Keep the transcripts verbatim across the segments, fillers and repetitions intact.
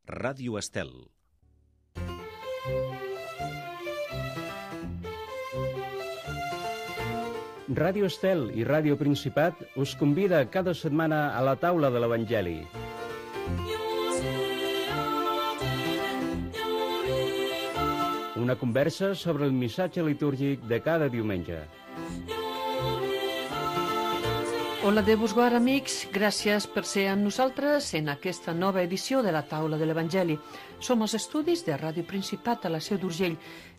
Ràdio Estel. Ràdio Estel i Ràdio Principat us convida cada setmana a la taula de l'Evangeli. Una conversa sobre el missatge litúrgic de cada diumenge. Hola de vos guard, amics. Gràcies per ser amb nosaltres en aquesta nova edició de la taula de l'Evangeli. Som els estudis de Ràdio Principat a la Seu d'Urgell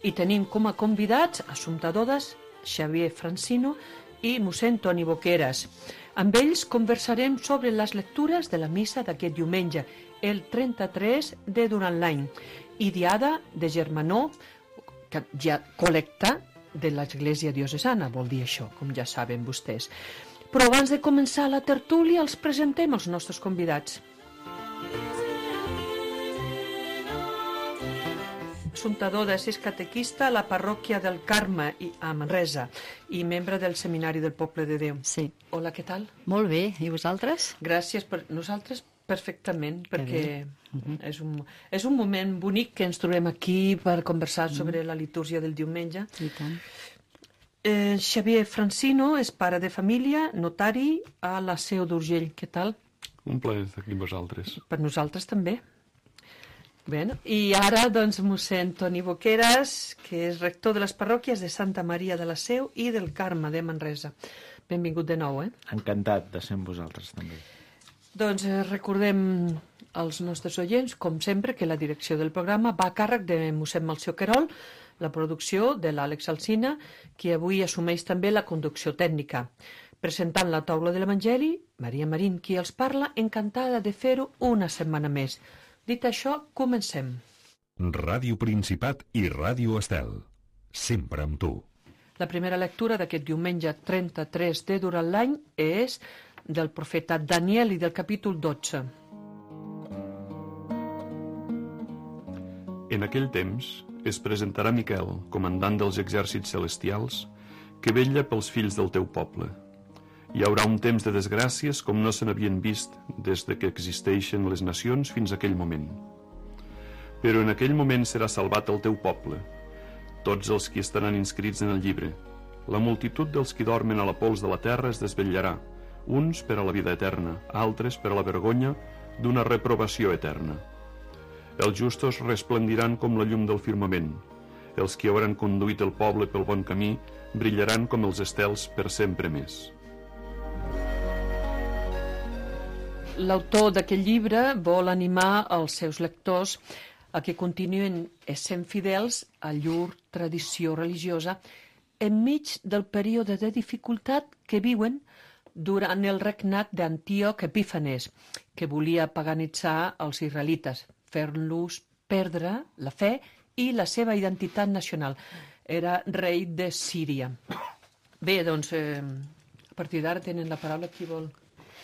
i tenim com a convidats Assumpta Dodas, Xavier Francino i mossèn Toni Boqueras. Amb ells conversarem sobre les lectures de la missa d'aquest diumenge, el trenta-tres de durant l'any, i diada de Germanor, que ja col·lecta de l'Església Diocesana, vol dir això, com ja saben vostès. Però abans de començar la tertúlia els presentem els nostres convidats. Assumpta Dodas és catequista a la parròquia del Carme a Manresa i membre del Seminari del Poble de Déu. Sí. Hola, què tal? Molt bé, i vosaltres? Gràcies per nosaltres perfectament, perquè uh-huh. és, un, és un moment bonic que ens trobem aquí per conversar uh-huh. sobre la litúrgia del diumenge. I tant. Eh, Xavier Francino és pare de família, notari a la Seu d'Urgell. Què tal? Un plaer estar aquí amb vosaltres. Per nosaltres també. Bé, i ara, doncs, mossèn Toni Boqueras, que és rector de les parròquies de Santa Maria de la Seu i del Carme de Manresa. Benvingut de nou, eh? Encantat de ser amb vosaltres, també. Doncs eh, recordem als nostres oients, com sempre, que la direcció del programa va a càrrec de mossèn Melcior Querol, la producció de l'Àlex Alsina, qui avui assumeix també la conducció tècnica. Presentant la taula de l'Evangeli, Maria Marín, qui els parla, encantada de fer-ho una setmana més. Dit això, comencem. Ràdio Principat i Ràdio Estel. Sempre amb tu. La primera lectura d'aquest diumenge trenta-tres de durant l'any és del profeta Daniel i del capítol dotze. En aquell temps es presentarà Miquel, comandant dels exèrcits celestials, que vetlla pels fills del teu poble. Hi haurà un temps de desgràcies com no se n'havien vist des de que existeixen les nacions fins a aquell moment. Però en aquell moment serà salvat el teu poble, tots els qui estaran inscrits en el llibre. La multitud dels qui dormen a la pols de la terra es desvetllarà, uns per a la vida eterna, altres per a la vergonya d'una reprovació eterna. Els justos resplendiran com la llum del firmament. Els que hauran conduït el poble pel bon camí brillaran com els estels per sempre més. L'autor d'aquest llibre vol animar els seus lectors a que continuïn essent fidels a llur tradició religiosa enmig del període de dificultat que viuen durant el regnat d'Antíoc Epífanes, que volia paganitzar els israelites, fent-los perdre la fe i la seva identitat nacional. Era rei de Síria. Bé, doncs, eh, a partir d'ara tenen la paraula qui vol.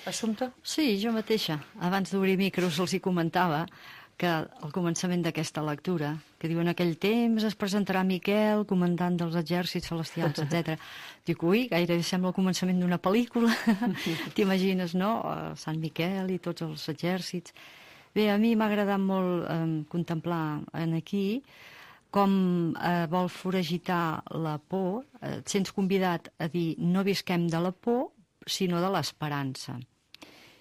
Assumpta? Sí, jo mateixa. Abans d'obrir micros els hi comentava que al començament d'aquesta lectura, que diu en aquell temps es presentarà Miquel, comandant dels exèrcits celestials, etcètera. Dic, ui, gairebé sembla el començament d'una pel·lícula. T'imagines, no? Sant Miquel i tots els exèrcits. Bé, a mi m'ha agradat molt eh, contemplar en aquí com eh, vol foragitar la por. Eh, et sents convidat a dir no visquem de la por, sinó de l'esperança.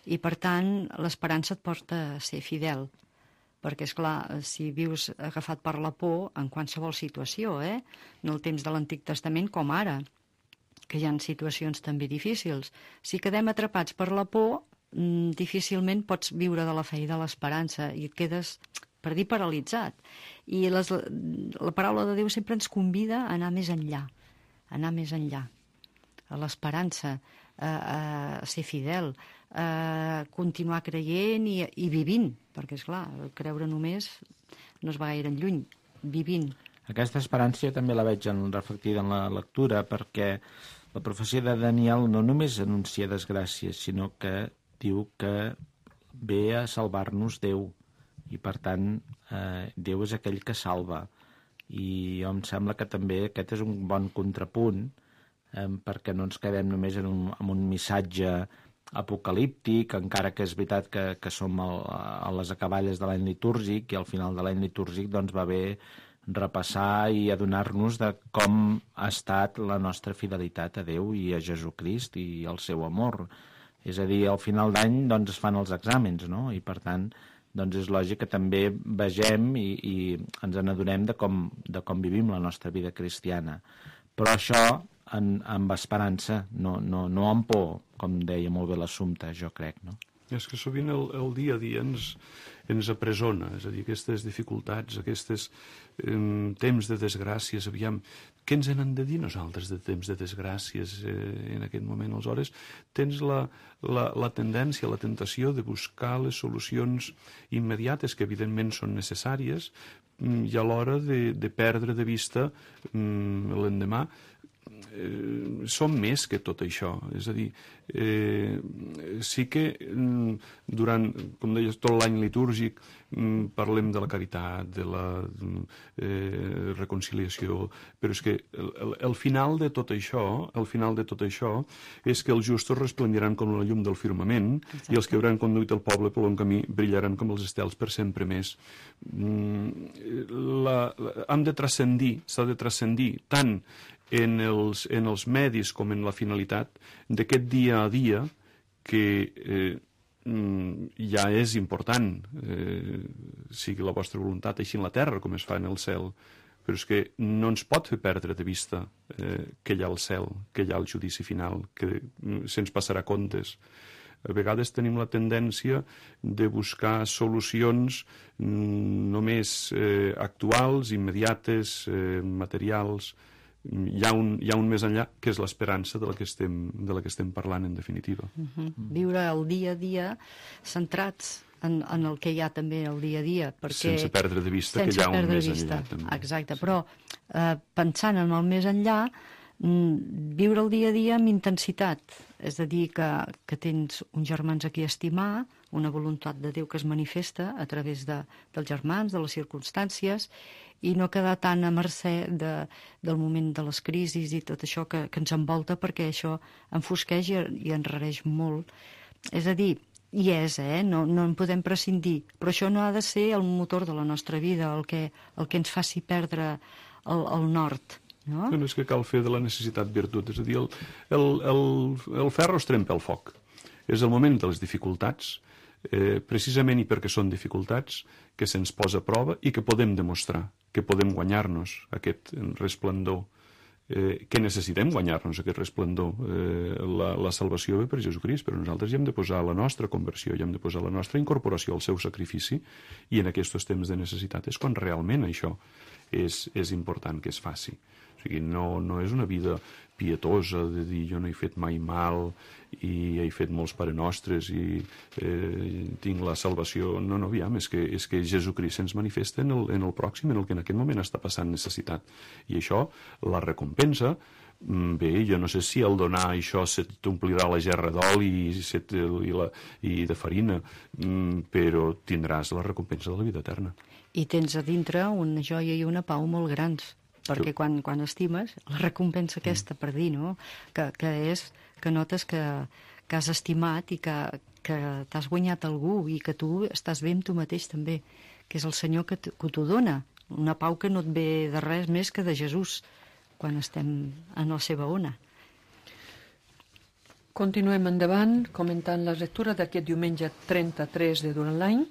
I, per tant, l'esperança et porta a ser fidel. Perquè, és clar, si vius agafat per la por en qualsevol situació, eh? No el temps de l'Antic Testament com ara, que hi ha situacions també difícils. Si quedem atrapats per la por, difícilment pots viure de la fe i de l'esperança i et quedes, per dir, paralitzat. I les, la paraula de Déu sempre ens convida a anar més enllà, a anar més enllà, a l'esperança, a, a ser fidel, a continuar creient i, i vivint, perquè, és clar, creure només no es va gaire enlluny, vivint. Aquesta esperança jo també la veig en, reflectida en la lectura, perquè la profecia de Daniel no només anuncia desgràcies, sinó que diu que ve a salvar-nos Déu, i per tant eh, Déu és aquell que salva. I em sembla que també aquest és un bon contrapunt, eh, perquè no ens quedem només en un, en un missatge apocalíptic, encara que és veritat que, que som el, a les acaballes de l'any litúrgic, i al final de l'any litúrgic doncs, va bé repassar i adonar-nos de com ha estat la nostra fidelitat a Déu i a Jesucrist i al seu amor. És a dir, al final d'any doncs, es fan els exàmens, no? I per tant doncs, és lògic que també vegem i, i ens n'adonem de com, de com vivim la nostra vida cristiana. Però això en, amb esperança, no, no, no amb por, com deia molt bé l'Assumpta, jo crec, no? És que sovint el, el dia a dia ens, ens apresona, és a dir, aquestes dificultats, aquests eh, temps de desgràcies, aviam, què ens n'han de dir nosaltres de temps de desgràcies eh, en aquest moment? Aleshores, tens la, la, la tendència, la tentació de buscar les solucions immediates, que evidentment són necessàries, i a l'hora de, de perdre de vista l'endemà. Eh, som més que tot això, és a dir, eh, sí que durant, com deies, tot l'any litúrgic parlem de la caritat, de la eh, reconciliació, però és que el, el, el final de tot això, el final de tot això és que els justos resplendiran com la llum del firmament. Exacte. I els que hauran conduït el poble per bon camí brillaran com els estels per sempre més. La, la, hem de transcendir, s'ha de transcendir tant en els, en els medis com en la finalitat d'aquest dia a dia que eh, ja és important, eh, sigui la vostra voluntat així en la terra com es fa en el cel, però és que no ens pot fer perdre de vista eh, que hi ha el cel, que hi ha el judici final, que se'ns passarà comptes. A vegades tenim la tendència de buscar solucions només eh, actuals, immediates, eh, materials. Hi ha, un, hi ha un més enllà, que és l'esperança de la que estem, de la que estem parlant, en definitiva. Uh-huh. Viure el dia a dia centrats en, en el que hi ha també el dia a dia. Perquè, sense perdre de vista que hi ha un més enllà. També. Exacte, sí. Però eh, pensant en el més enllà, viure el dia a dia amb intensitat. És a dir, que, que tens uns germans a qui estimar, una voluntat de Déu que es manifesta a través de, dels germans, de les circumstàncies, i no quedar tan a mercè de, del moment de les crisis i tot això que, que ens envolta, perquè això enfosqueix i, i enrareix molt. És a dir, hi és, eh? no, no en podem prescindir, però això no ha de ser el motor de la nostra vida, el que, el que ens faci perdre el, el nord. No? No és que cal fer de la necessitat virtut, és a dir, el, el, el, el ferro es trempa al foc. És el moment de les dificultats, eh, precisament i perquè són dificultats, que se'ns posa a prova i que podem demostrar, que podem guanyar-nos aquest resplendor, eh, que necessitem guanyar-nos aquest resplendor. Eh, la, la salvació ve per Jesucrist, però nosaltres hi hem de posar la nostra conversió, hi hem de posar la nostra incorporació al seu sacrifici, i en aquests temps de necessitat és quan realment això és, és important que es faci. O sigui, no, no és una vida pietosa de dir jo no he fet mai mal i he fet molts Pare Nostres i eh, tinc la salvació. No, no, aviam, és que, és que Jesucrist ens manifesta en el, en el pròxim, en el que en aquest moment està passant necessitat. I això, la recompensa, bé, jo no sé si al donar això se t'omplirà la gerra d'oli i, i, la, i de farina, però tindràs la recompensa de la vida eterna. I tens a dintre una joia i una pau molt grans, perquè quan, quan estimes, la recompensa aquesta per dir, no? Que, que és que notes que, que has estimat i que, que t'has guanyat algú i que tu estàs bé amb tu mateix també, que és el Senyor que, que t'ho dona, una pau que no et ve de res més que de Jesús quan estem en la seva ona. Continuem endavant comentant la lectura d'aquest diumenge trenta-tres de durant l'any.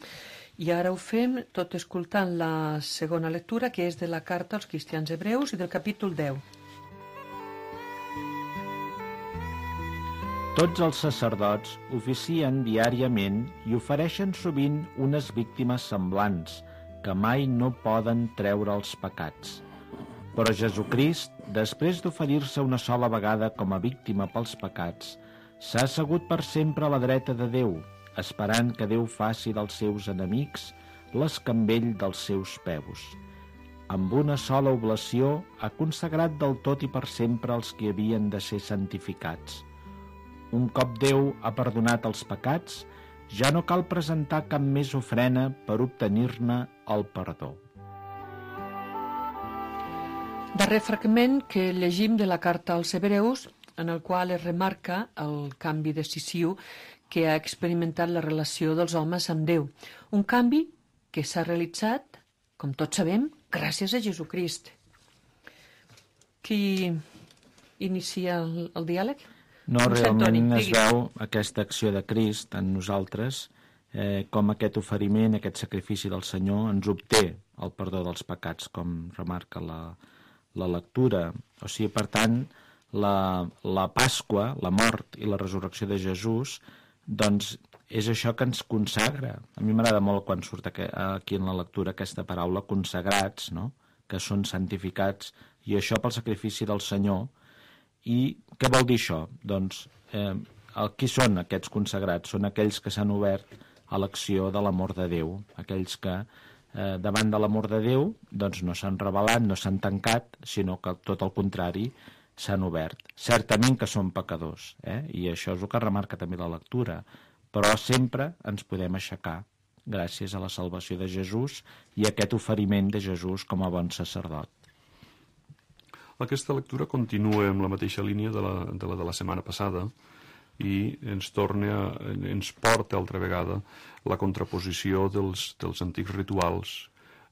I ara ho fem tot escoltant la segona lectura, que és de la carta als cristians hebreus i del capítol deu. Tots els sacerdots oficien diàriament i ofereixen sovint unes víctimes semblants, que mai no poden treure els pecats. Però Jesucrist, després d'oferir-se una sola vegada com a víctima pels pecats, s'ha assegut per sempre a la dreta de Déu, esperant que Déu faci dels seus enemics l'escambell dels seus peus. Amb una sola oblació ha consagrat del tot i per sempre els que havien de ser santificats. Un cop Déu ha perdonat els pecats, ja no cal presentar cap més ofrena per obtenir-ne el perdó. Darrer fragment que llegim de la carta als hebreus en el qual es remarca el canvi decisiu que ha experimentat la relació dels homes amb Déu. Un canvi que s'ha realitzat, com tots sabem, gràcies a Jesucrist. Qui inicia el, el diàleg? No, Mossèn realment Toni, es digui. veu aquesta acció de Crist en nosaltres, eh, com aquest oferiment, aquest sacrifici del Senyor ens obté el perdó dels pecats, com remarca la, la lectura. O sigui, per tant, la, la Pasqua, la mort i la resurrecció de Jesús, doncs és això que ens consagra. A mi m'agrada molt quan surt aquí, aquí en la lectura aquesta paraula, consagrats, no? Que són santificats, i això pel sacrifici del Senyor. I què vol dir això? Doncs, eh, el, qui són aquests consagrats? Són aquells que s'han obert a l'acció de l'amor de Déu, aquells que eh, davant de l'amor de Déu doncs no s'han rebel·lat, no s'han tancat, sinó que tot el contrari s'han obert. Certament que són pecadors, eh? I això és el que remarca també la lectura, però sempre ens podem aixecar gràcies a la salvació de Jesús i a aquest oferiment de Jesús com a bon sacerdot. Aquesta lectura continua amb la mateixa línia de la de la, de la setmana passada i ens torna, a, ens porta altra vegada la contraposició dels, dels antics rituals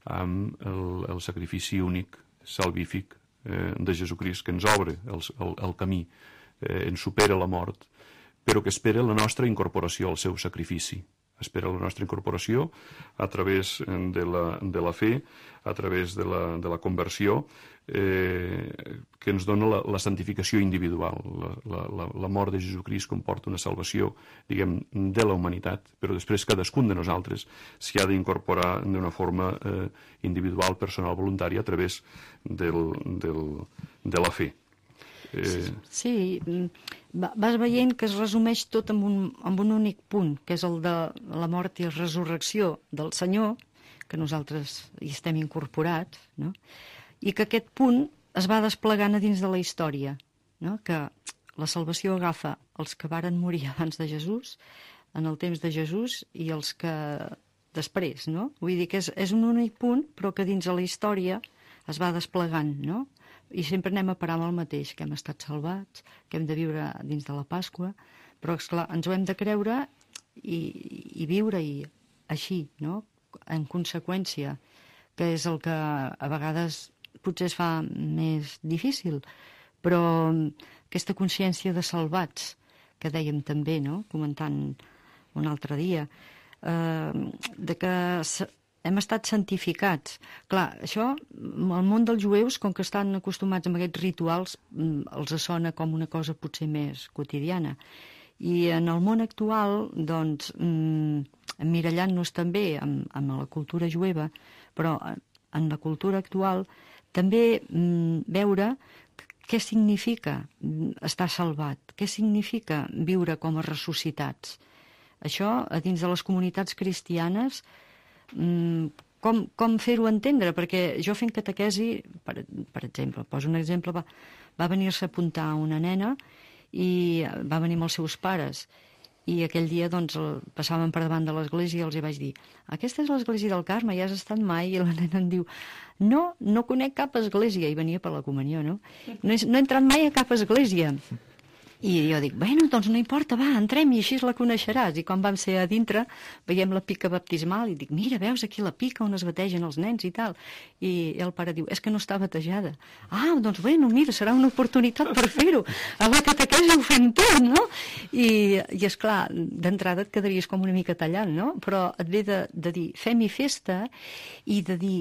amb el, el sacrifici únic, salvífic, eh, de Jesucrist, que ens obre el, el, el camí, eh, ens supera la mort, però que espera la nostra incorporació al seu sacrifici. Espera la nostra incorporació a través de la, de la fe, a través de la, de la conversió, eh, que ens dona la, la santificació individual. La, la, la mort de Jesucrist comporta una salvació, diguem, de la humanitat, però després cadascun de nosaltres s'hi ha d'incorporar d'una forma eh, individual, personal, voluntària, a través del, del, de la fe. Eh... Sí, vas veient que es resumeix tot en un, en un únic punt, que és el de la mort i la resurrecció del Senyor, que nosaltres hi estem incorporats, no? I que aquest punt es va desplegant a dins de la història, no? Que la salvació agafa els que varen morir abans de Jesús, en el temps de Jesús, i els que després, no? Vull dir que és, és un únic punt, però que dins de la història es va desplegant, no? I sempre anem a parar amb el mateix, que hem estat salvats, que hem de viure dins de la Pasqua, però, esclar, ens ho hem de creure i, i viure i així, no? En conseqüència, que és el que a vegades potser es fa més difícil, però aquesta consciència de salvats, que dèiem també, no? Comentant un altre dia, eh, de que hem estat santificats. Clar, això, el món dels jueus, com que estan acostumats a aquests rituals, els sona com una cosa potser més quotidiana. I en el món actual, doncs, emmirallant-nos també amb, amb la cultura jueva, però en la cultura actual també veure què significa estar salvat, què significa viure com a ressuscitats. Això, a dins de les comunitats cristianes, com, com fer-ho entendre, perquè jo fent catequesi, per, per exemple, poso un exemple, va, va venir-se a apuntar una nena i va venir amb els seus pares, i aquell dia doncs passàvem per davant de l'església i els hi vaig dir: aquesta és l'església del Carme, ja has estat mai? I la nena em diu: no, no conec cap església, i venia per la comunió, no? No he, no he entrat mai a cap església. I jo dic, bueno, doncs no importa, va, entrem i així la coneixeràs. I quan vam ser a dintre, veiem la pica baptismal i dic, mira, veus aquí la pica on es bategen els nens i tal. I el pare diu, és que no està batejada. Ah, doncs bueno, mira, serà una oportunitat per fer-ho. A la catequesi ho fem tot, no? I, i esclar, d'entrada et quedaries com una mica tallant, no? Però et ve de, de dir, fem-hi festa, i de dir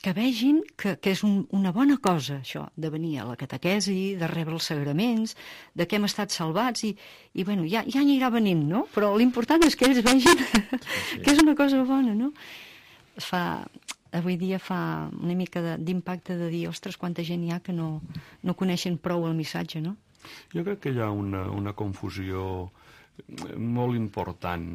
que vegin que, que és un, una bona cosa, això, de venir a la catequesi, de rebre els sagraments, de que hem estat salvats, i, i bueno, ja, ja anirà venint, no? Però l'important és que ells vegin sí, sí. que és una cosa bona, no? Es fa, avui dia fa una mica d'impacte de dir, ostres, quanta gent hi ha que no, no coneixen prou el missatge, no? Jo crec que hi ha una, una confusió molt important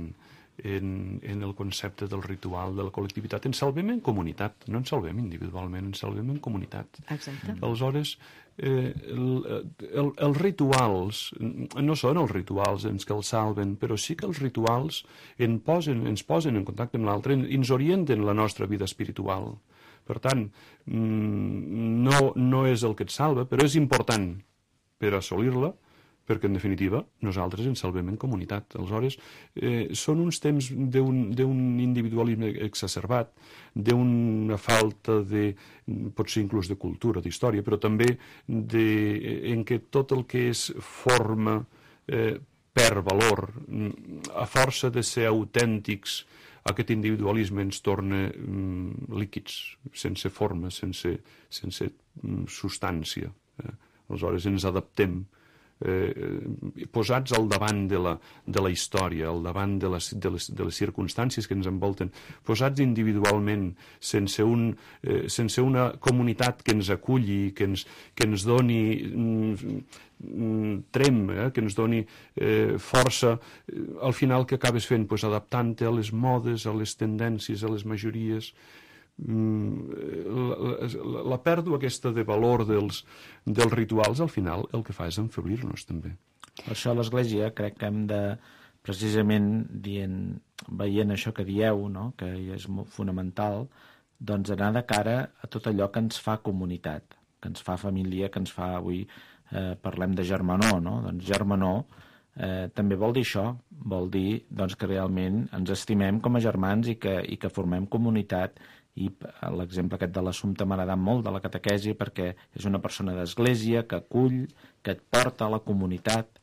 en, en el concepte del ritual, de la col·lectivitat. Ens salvem en comunitat, no ens salvem individualment, ens salvem en comunitat. Exacte. Aleshores, eh, el, el, els rituals no són els rituals ens que els salven, però sí que els rituals en posen, ens posen en contacte amb l'altre, ens orienten la nostra vida espiritual. Per tant, no, no és el que et salva, però és important per assolir-la, perquè en definitiva nosaltres ens salvem en comunitat. Aleshores, eh, són uns temps d'un individualisme exacerbat, d'una falta de, potser inclús de cultura, d'història, però també de, en què tot el que és forma eh, perd valor. A força de ser autèntics, aquest individualisme ens torna mm, líquids, sense forma, sense, sense mm, substància. Eh? Aleshores ens adaptem, eh, posats al davant de la, de la història, al davant de les, de, les, de les circumstàncies que ens envolten, posats individualment, sense, un, eh, sense una comunitat que ens aculli, que ens, que ens doni mm, mm, trem, eh, que ens doni eh, força, eh, al final que acabes fent? Pues adaptant-te a les modes, a les tendències, a les majories. La, la, la pèrdua aquesta de valor dels, dels rituals, al final el que fa és enfeblir-nos també. Per això a l'Església crec que hem de, precisament dient, veient això que dieu, no? Que és molt fonamental, doncs anar de cara a tot allò que ens fa comunitat, que ens fa família, que ens fa, avui eh, parlem de germanor, no? Doncs germanor eh, també vol dir això, vol dir doncs, que realment ens estimem com a germans i que, i que formem comunitat. I l'exemple aquest de l'Assumpta m'ha agradat molt, de la catequesi, perquè és una persona d'església que acull, que et porta a la comunitat,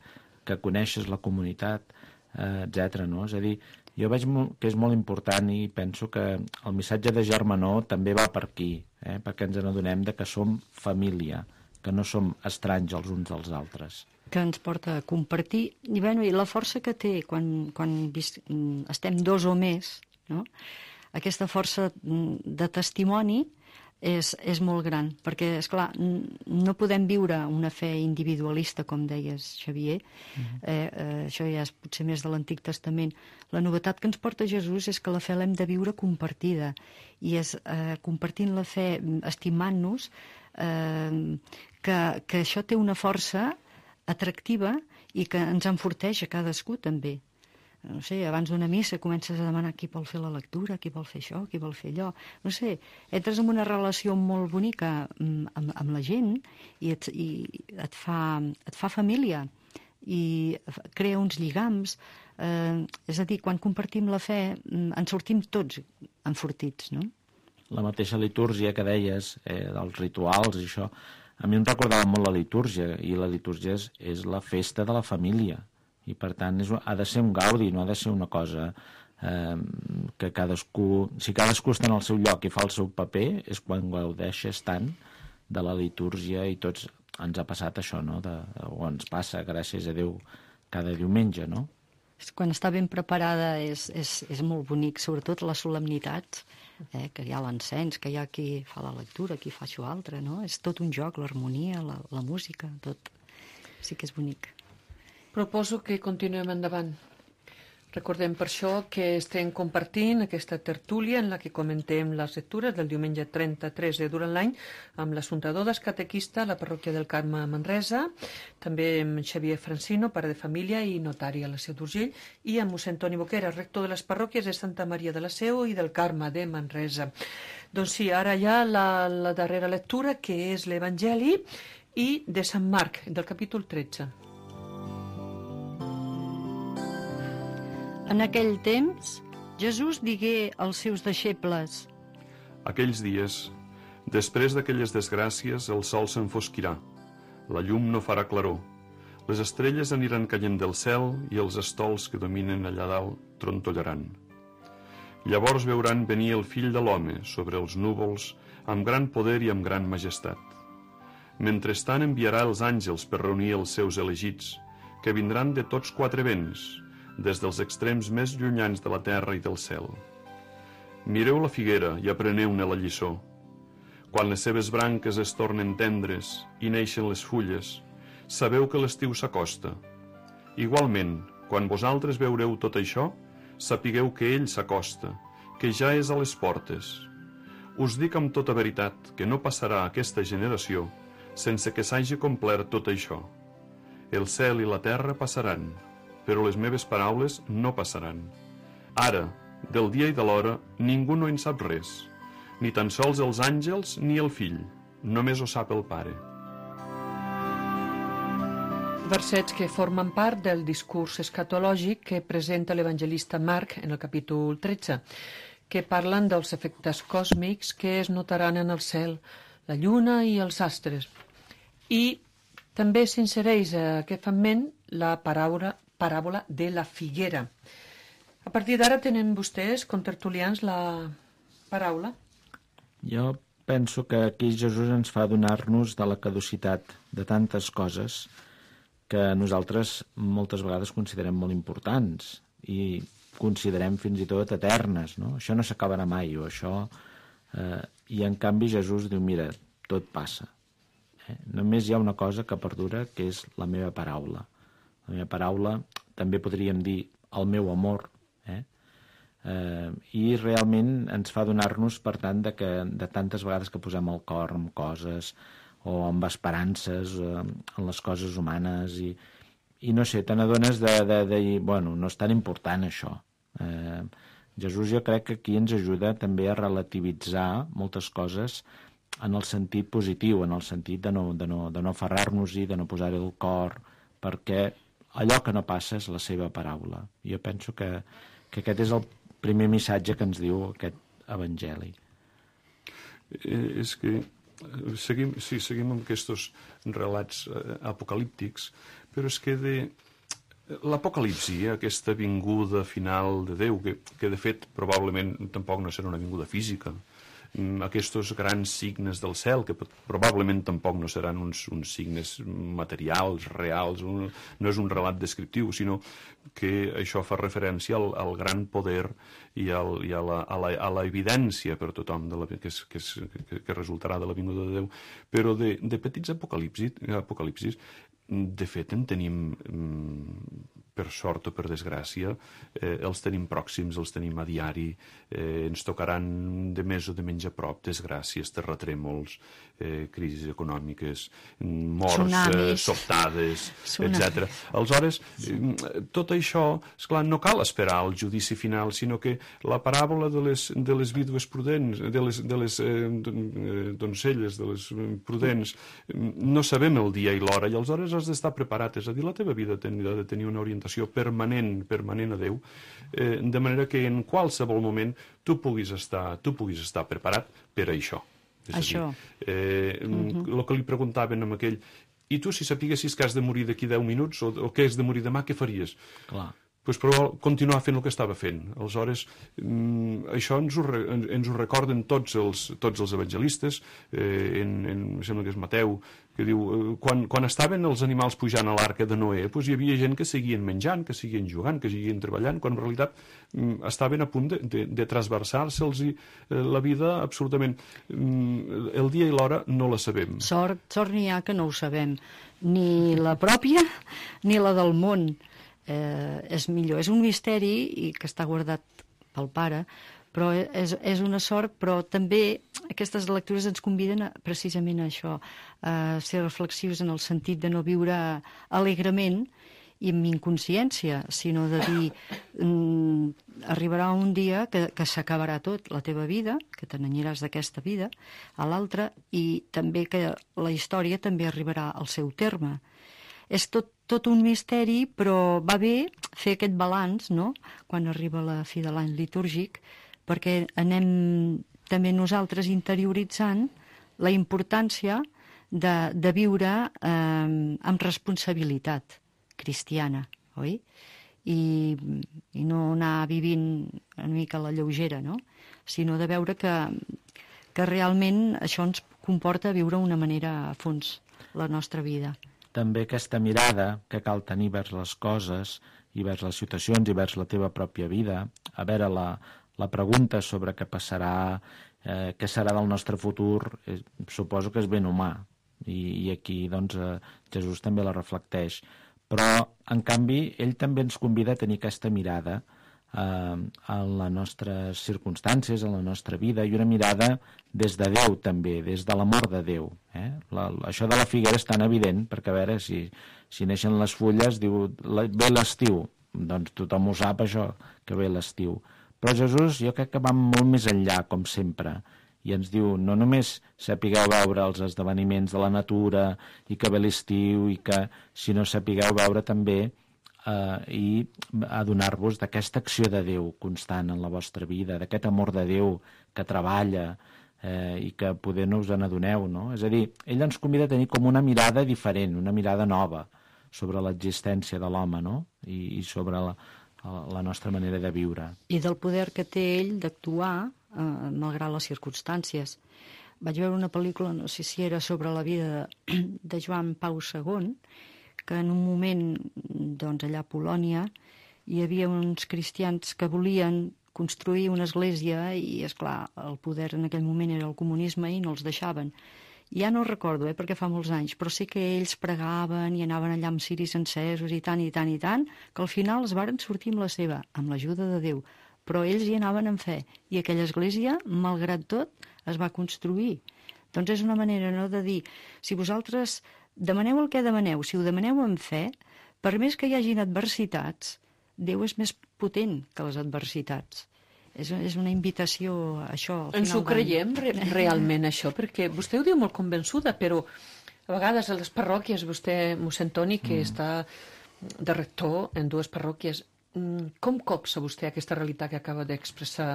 que coneixes la comunitat, eh, etcètera. No? És a dir, jo veig que és molt important i penso que el missatge de germanor també va per aquí, eh, perquè ens n'adonem de que som família, que no som estranys els uns dels altres. Que ens porta a compartir, i, bueno, i la força que té quan, quan vis, estem dos o més, no? Aquesta força de testimoni és, és molt gran, perquè, esclar, no podem viure una fe individualista, com deies, Xavier. Mm-hmm. eh, eh, això ja és potser més de l'Antic Testament. La novetat que ens porta Jesús és que la fe l'hem de viure compartida, i és eh, compartint la fe, estimant-nos, eh, que, que això té una força atractiva i que ens enforteix a cadascú també. No sé, abans d'una missa comences a demanar qui vol fer la lectura, qui vol fer això, qui vol fer allò. No sé, entres en una relació molt bonica amb, amb, amb la gent i, et, i et, fa, et fa família i crea uns lligams. Eh, és a dir, quan compartim la fe ens sortim tots enfortits, no? La mateixa litúrgia que deies, eh, dels rituals i això, a mi em recordava molt la litúrgia, i la litúrgia és, és la festa de la família. I per tant és, ha de ser un gaudi, no ha de ser una cosa eh, que cadascú, si cadascú està en el seu lloc i fa el seu paper, és quan gaudeixes tant de la litúrgia, i tots ens ha passat això, no? De, o ens passa, gràcies a Déu, cada diumenge, no? Quan està ben preparada és, és, és molt bonic, sobretot les solemnitats, eh, que hi ha l'encens, que hi ha qui fa la lectura, qui fa això altre, no? És tot un joc, l'harmonia, la, la música, tot. Sí que és bonic. Proposo que continuem endavant. Recordem per això que estem compartint aquesta tertúlia en la que comentem les lectures del diumenge trenta-tres de durant l'any amb l'Assumpta Dodas, catequista a la parròquia del Carme a Manresa, també amb Xavier Francino, pare de família i notari a la Seu d'Urgell, i amb mossèn Toni Boquera, rector de les parròquies de Santa Maria de la Seu i del Carme de Manresa. Doncs sí, ara hi ha la, la darrera lectura, que és l'Evangeli i de Sant Marc, del capítol tretze. En aquell temps, Jesús digué als seus deixebles: Aquells dies, després d'aquelles desgràcies, el sol s'enfosquirà, la llum no farà claror, les estrelles aniran caient del cel i els estols que dominen allà dalt trontollaran. Llavors veuran venir el fill de l'home sobre els núvols amb gran poder i amb gran majestat. Mentrestant enviarà els àngels per reunir els seus elegits, que vindran de tots quatre vents, des dels extrems més llunyans de la terra i del cel. Mireu la figuera i apreneu-ne la lliçó. Quan les seves branques es tornen tendres i neixen les fulles, sabeu que l'estiu s'acosta. Igualment, quan vosaltres veureu tot això, sapigueu que ell s'acosta, que ja és a les portes. Us dic amb tota veritat que no passarà aquesta generació sense que s'hagi complert tot això. El cel i la terra passaran, però les meves paraules no passaran. Ara, del dia i de l'hora, ningú no en sap res, ni tan sols els àngels ni el fill, només ho sap el Pare. Versets que formen part del discurs escatològic que presenta l'evangelista Marc en el capítol tretze, que parlen dels efectes còsmics que es notaran en el cel, la lluna i els astres. I també s'insereix a aquest fragment la paràbola, paràbola de la figuera. A partir d'ara tenen vostès, contertulians, la paraula? Jo penso que aquí Jesús ens fa adonar-nos de la caducitat de tantes coses que nosaltres moltes vegades considerem molt importants i considerem fins i tot eternes, no? Això no s'acabarà mai, o això... Eh, I en canvi Jesús diu, mira, tot passa. Eh? Només hi ha una cosa que perdura, que és la meva paraula. La meva paraula, també podríem dir el meu amor, eh? Eh, i realment ens fa adonar-nos, per tant, de, que, de tantes vegades que posem el cor en coses o amb esperances eh, en les coses humanes i, i no sé, te n'adones de, de, de dir, bueno, no és tan important això. Eh, Jesús jo crec que aquí ens ajuda també a relativitzar moltes coses en el sentit positiu, en el sentit de no, de no, de no aferrar-nos-hi, de no posar-hi el cor, perquè allò que no passa és la seva paraula. Jo penso que, que aquest és el primer missatge que ens diu aquest evangeli. Eh, és que seguim, sí, seguim amb aquests relats apocalíptics, però és que de l'apocalipsi, aquesta vinguda final de Déu, que, que de fet probablement tampoc no serà una vinguda física, aquests grans signes del cel, que probablement tampoc no seran uns, uns signes materials, reals, un, no és un relat descriptiu, sinó que això fa referència al, al gran poder i, al, i a, la, a, la, a la evidència per tothom de la, que, és, que, és, que, que resultarà de la vinguda de Déu. Però de, de petits apocalipsis, apocalipsis, de fet en tenim, per sort o per desgràcia, eh, els tenim pròxims, els tenim a diari, eh, ens tocaran de més o de menys a prop desgràcies, terratrèmols, eh, crisis econòmiques, morts eh, sobtades, etcètera. Aleshores, eh, tot això, esclar, no cal esperar el judici final, sinó que la paràbola de les, de les vídues prudents, de les, de les eh, doncelles, de les prudents, no sabem el dia i l'hora, i aleshores has d'estar preparat, és a dir, la teva vida ha de tenir una orientació permanent, permanent a Déu, eh, de manera que en qualsevol moment tu puguis estar, tu puguis estar preparat per a això. És això. A dir, eh, uh-huh. el que li preguntaven amb aquell, i tu si sapiguessis que has de morir d'aquí deu minuts o, o que has de morir demà, què faries? Clar. Pues, però continuar fent el que estava fent. Aleshores, mm, això ens ho, re, ens ho recorden tots els, tots els evangelistes, eh, en, en, em sembla que és Mateu, que diu, eh, quan, quan estaven els animals pujant a l'arca de Noé, pues, hi havia gent que seguien menjant, que seguien jugant, que seguien treballant, quan en realitat mm, estaven a punt de, de, de trasversar-se'ls eh, la vida absolutament. Mm, el dia i l'hora no la sabem. Sort, sort n'hi ha que no ho sabem, ni la pròpia ni la del món. Eh, és millor, és un misteri i que està guardat pel pare, però és, és una sort, però també aquestes lectures ens conviden a, precisament a això, a ser reflexius en el sentit de no viure alegrement i amb inconsciència, sinó de dir mm, arribarà un dia que, que s'acabarà tot, la teva vida, que te n'aniràs d'aquesta vida a l'altra, i també que la història també arribarà al seu terme. És tot, tot un misteri, però va bé fer aquest balanç, no?, quan arriba la fi de l'any litúrgic, perquè anem també nosaltres interioritzant la importància de, de viure eh, amb responsabilitat cristiana, oi? I, i no anar vivint una mica a la lleugera, no?, sinó de veure que, que realment això ens comporta viure una manera a fons la nostra vida. També aquesta mirada que cal tenir vers les coses i vers les situacions i vers la teva pròpia vida, a veure la, la pregunta sobre què passarà, eh, què serà del nostre futur, eh, suposo que és ben humà, i, i aquí doncs, eh, Jesús també la reflecteix. Però, en canvi, ell també ens convida a tenir aquesta mirada eh, en les nostres circumstàncies, en la nostra vida, i una mirada des de Déu també, des de l'amor de Déu. Eh? La, això de la figuera és tan evident, perquè a veure, si, si neixen les fulles, diu, la, ve l'estiu, doncs tothom ho sap això, que ve l'estiu. Però Jesús jo crec que va molt més enllà, com sempre, i ens diu no només sapigueu veure els esdeveniments de la natura i que ve l'estiu, i que, sinó sapigueu veure també eh, i adonar-vos d'aquesta acció de Déu constant en la vostra vida, d'aquest amor de Déu que treballa eh, i que poder no us n'adoneu, no? És a dir, ell ens convida a tenir com una mirada diferent, una mirada nova sobre l'existència de l'home, no? I, i sobre la, la nostra manera de viure. I del poder que té ell d'actuar eh, malgrat les circumstàncies. Vaig veure una pel·lícula, no sé si era sobre la vida de, de Joan Pau segon, que en un moment, doncs, allà a Polònia, hi havia uns cristians que volien construir una església i, esclar, el poder en aquell moment era el comunisme i no els deixaven. Ja no recordo, eh, perquè fa molts anys, però sí que ells pregaven i anaven allà amb ciris encesos i tant, i tant, i tant, que al final es varen sortir amb la seva, amb l'ajuda de Déu. Però ells hi anaven amb fe, i aquella església, malgrat tot, es va construir. Doncs és una manera, no?, de dir, si vosaltres demaneu el que demaneu, si ho demaneu amb fe, per més que hi hagin adversitats, Déu és més potent que les adversitats. És, és una invitació a això. Ens ho creiem re realment, això? Perquè vostè ho diu molt convençuda, però a vegades a les parròquies, vostè, mossèn Toni, que mm. està de rector en dues parròquies, com copsa vostè aquesta realitat que acaba d'expressar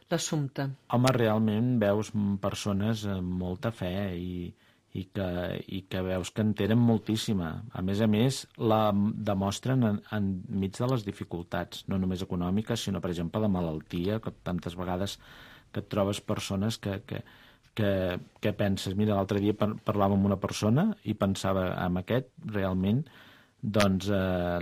l'Assumpta? Home, realment veus persones amb molta fe i, i, que, i que veus que en tenen moltíssima. A més a més, la demostren en, enmig de les dificultats, no només econòmiques, sinó, per exemple, de malaltia, que tantes vegades que et trobes persones que, que, que, que penses... Mira, l'altre dia par parlava amb una persona i pensava en aquest, realment, doncs eh,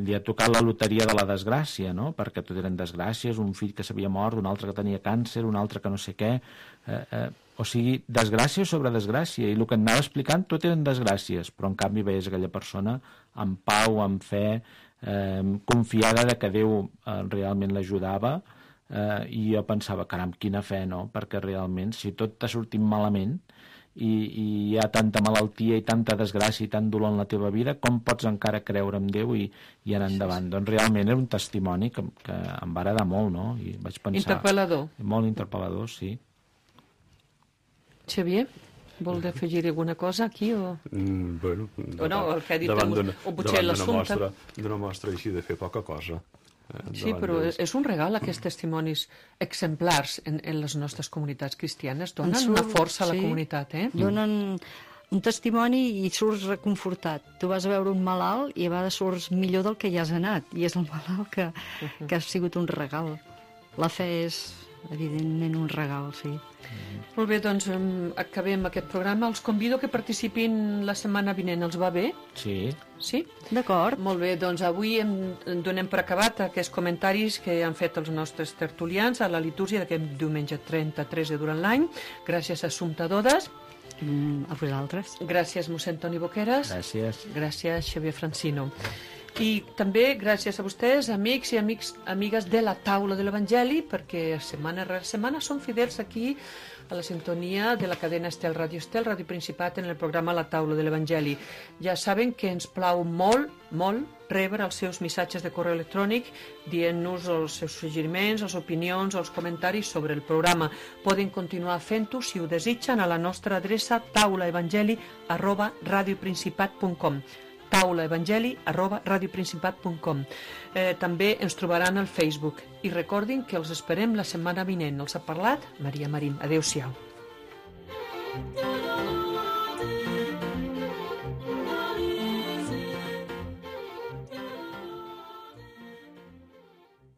li ha tocat la loteria de la desgràcia, no? Perquè tot eren desgràcies, un fill que s'havia mort, un altre que tenia càncer, un altre que no sé què... Eh, eh, o sigui, desgràcia sobre desgràcia, i el que anava explicant tot eren desgràcies, però en canvi veies aquella persona amb pau, amb fe, eh, confiada de que Déu eh, realment l'ajudava, eh, i jo pensava, caram, quina fe, no? Perquè realment, si tot t'ha sortit malament i, i hi ha tanta malaltia i tanta desgràcia i tant dolor en la teva vida, com pots encara creure en Déu i, i anar endavant? Sí, sí. Doncs realment era un testimoni que, que em va agradar molt, no? I vaig pensar... Interpel·lador. Molt interpel·lador, sí. Xavier, vol afegir alguna cosa aquí? O, mm, bueno, o no, el que ha dit el, o potser l'Assumpta. D'una mostra així de fer poca cosa. Eh, sí, però dels... és un regal, aquests testimonis exemplars en, en les nostres comunitats cristianes. Donen surt, una força a la sí, comunitat, eh? Donen un testimoni i surts reconfortat. Tu vas a veure un malalt i a vegades surts millor del que hi has anat, i és el malalt que, uh -huh. que ha sigut un regal. La fe és, evidentment, un regal, sí. Molt bé, doncs um, acabem aquest programa. Els convido que participin la setmana vinent. Els va bé? Sí. Sí? D'acord. Molt bé, doncs avui em, em donem per acabat aquests comentaris que han fet els nostres tertulians a la litúrgia d'aquest diumenge trenta-tres de durant l'any. Gràcies a Assumpta Dodes. Mm, a vosaltres. Gràcies, mossèn Toni Boqueras. Gràcies. Gràcies, Xavier Francino. I també gràcies a vostès, amics i amics, amigues de la taula de l'Evangeli, perquè setmana rere setmana són fidels aquí a la sintonia de la cadena Estel, Ràdio Estel, Ràdio Principat, en el programa La taula de l'Evangeli. Ja saben que ens plau molt, molt, rebre els seus missatges de correu electrònic dient-nos els seus suggeriments, les opinions, els comentaris sobre el programa. Poden continuar fent-ho, si ho desitgen, a la nostra adreça taulaevangeli arroba radioprincipat punt com. taulaevangeli arroba radioprincipat punt com. Eh, també ens trobaran al Facebook. I recordin que els esperem la setmana vinent. Els ha parlat Maria Marín. Adéu-siau.